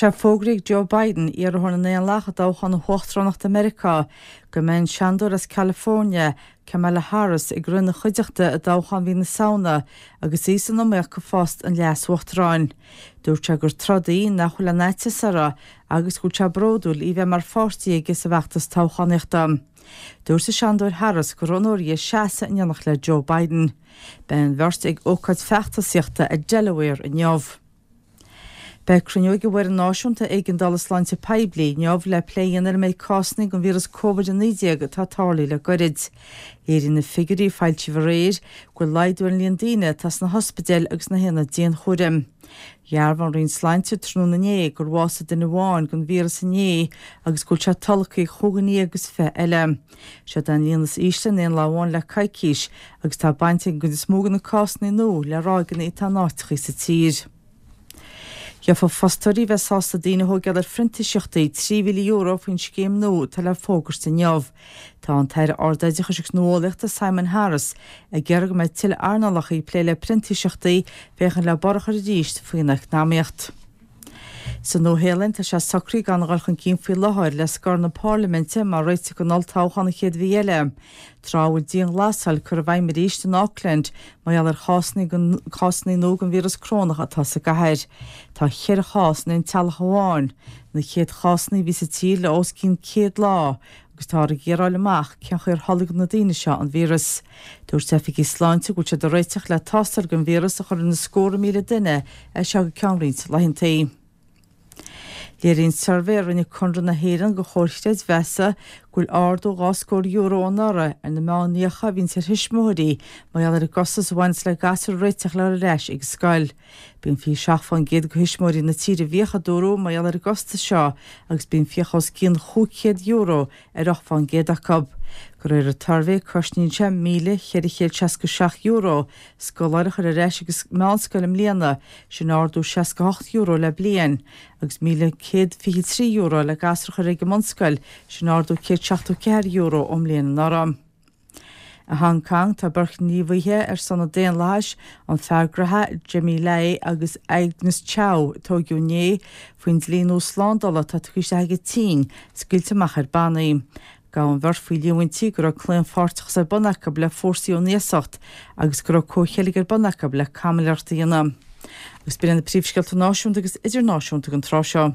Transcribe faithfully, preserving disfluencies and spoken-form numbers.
Tá sé fógraithe ag Joe Biden, iarrthóir na nDaonlathach i dtoghchán na huachtaránachta i Meiriceá, go mbeidh an Seanadóir as California, Kamala Harris, ag rith ina chuideachta i dtoghchán mhí na Samhna agus í san iomaíocht do phost an leas-uachtaráin. Dúirt sé gur troid í nach bhfuil aon fhaitíos uirthi agus go bhfuil sé bródúil í bheith mar pháirtí aige sa bhfeachtas toghchánaíochta. Dúirt an Seanadóir Harris gur onóir di seasamh in éineacht le Joe Biden. Beidh an bheirt ag ócáid feachtasaíochta i Delaware inniu. Beidh cruinniú ag an bhFoireann Náisiúnta Éigeandála Sláinte Poiblí inniu le plé a dhéanamh ar an méid cásanna den víreas Covid a naoi déag atá tarlaithe le goirid. Léiríonn na figiúirí a foilsíodh aréir go bhfuil laghdú ar an líon daoine atá sna hospidéil agus sna haonaid dianchúraim. Dhearbhaigh an Roinn Sláinte tráthnóna inné gur bhásaigh duine amháin den víreas inné agus go bhfuil sé tolgtha ag chúig dhuine déag agus fiche eile. Seo é an líon is ísle in aon lá amháin le coicís agus tá baint ag an gcuid is mó de na cásanna nua le ráigeanna atá in áiteacha sa tír. Gheobhaidh fostóirí a bheas sásta daoine a thógáil ar phrintíseachtaí trí mhíle euro faoin scéim nua atá le fógairt inniu. Tá an tAire Ardoideachais agus Nuálaíochta Simon Harris ag iarraidh go mbeidh tuilleadh earnálacha ag plé le printíseachtaí féachaint le borradh a chur arís faoin eacnamaíocht. Sa Nua-Shéalainn tá sé socraithe gan a dhul chun cinn faoi láthair le scor na Parlaiminte mar réiteach don olltoghchán an chéad mhí eile, tráth a bhfuil dianghlasáil curtha i bhfeidhm arís in Auckland mar gheall ar chásanna nua den víreas corónach atá sa gcathair. Tá ceithre chás in aon teaghlach amháin, na chéad chásanna a bhí sa tír le os cionn céad lá, agus táthar ag iarraidh a fháil amach cén chaoi ar tholg na daoine seo an víreas. Dúirt oifigigh sláinte go bhfuil siad ag réiteach le tástáil don víreas a chur ar na scórtha míle duine as seo go ceann roinnt laethanta. Léiríonn suirbhé a rinne Conradh na hÉireann do Chomhar Creidmheasa go bhfuil ardú dhá scór euro anuraidh ar na meánfhiacha a bhíonns ar thuismitheoirí mar gheall ar an gcostas a bhaineas le gasúir a réiteach le dhul ar ais ag an scoil. Bíonn fiche seacht fán gcéad de thuismitheoirí na tíre i bhfiacha, a dúradh, mar gheall ar an gcostas seo agus bíonn fiacha os cionn chúig chéad euro ar ocht fán gcéad acu. De réir an tsuirbhé, cosnaíonn sé míle cheithre chéad seasca seacht euro scoláire a chur ar ais ag an meánscoil i mbliana, sin ardú seasca hocht euro le bliain, agus míle céad fiche trí euro le gasúr a chur ag an mbunscoil, sin ardú céad seachtó ceathair euro ón mbliain anuraidh. I Hong Kong, tá beirt ghníomhaithe ar son an daonlathais, an fear graithe Jimmy Lai agus Agnes Chow, a tóigeadh inné faoin dlí nua slándála atá tugtha isteach ag an tSín, scaoilte amach ar bannaí. Gabhadh an bheirt faoi líomhaintí go raibh claonpháirteachas ar bun acu le fórsaí ón iasacht agus go raibh comhcheilg ar bun acu le caimiléireacht a dhéanamh. Agus b'in iad na príomhscéalta náisiúnta agus idirnáisiúnta don tráth seo.